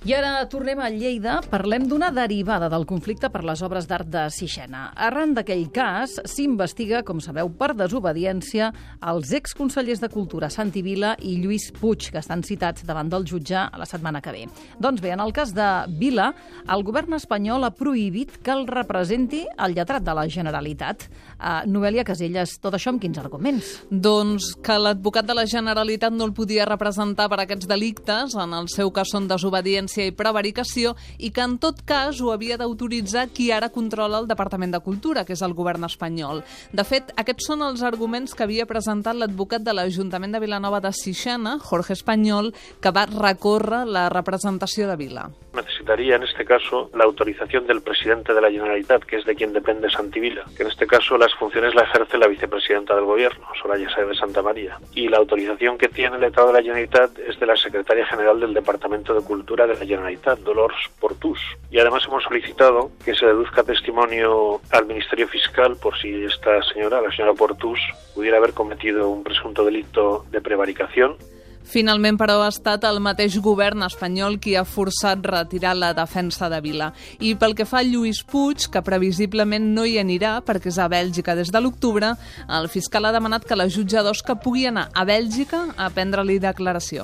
I ara tornem a Lleida, parlem d'una derivada del conflicte per les obres d'art de Sixena. Arran d'aquell cas, s'investiga, com sabeu, per desobediència els exconsellers de Cultura Santi Vila i Lluís Puig, que estan citats davant del jutge la setmana que ve. Doncs bé, en el cas de Vila, el govern espanyol ha prohibit que el representi el lletrat de la Generalitat. Noelia Casellas, tot això amb quins arguments? Doncs que l'advocat de la Generalitat no el podia representar per aquests delictes, en el seu cas són desobediència i prevaricació, i que en tot cas ho havia d'autoritzar qui ara controla el Departament de Cultura, que és el govern espanyol. De fet, aquests són els arguments que havia presentat l'advocat de l'Ajuntament de Vilanova de Sixena, Jorge Español, que va recórrer la representació de Vila. Necesitaría en este caso la autorización del presidente de la Generalitat, que es de quien depende Santi Vila, que en este caso las funciones la ejerce la vicepresidenta del gobierno, Soraya Sáez de Santamaría, y la autorización que tiene el letrado de la Generalitat es de la secretaria general del Departamento de Cultura de la Generalitat, Dolors Portús. Y además hemos solicitado que se deduzca testimonio al Ministerio Fiscal por si esta señora, la señora Portús, pudiera haber cometido un presunto delito de prevaricación. Finalment, però, ha estat el mateix govern espanyol qui ha forçat retirar la defensa de Vila. I pel que fa a Lluís Puig, que previsiblement no hi anirà perquè és a Bèlgica des de l'octubre, el fiscal ha demanat que la jutge d'Osca pugui anar a Bèlgica a prendre-li declaració.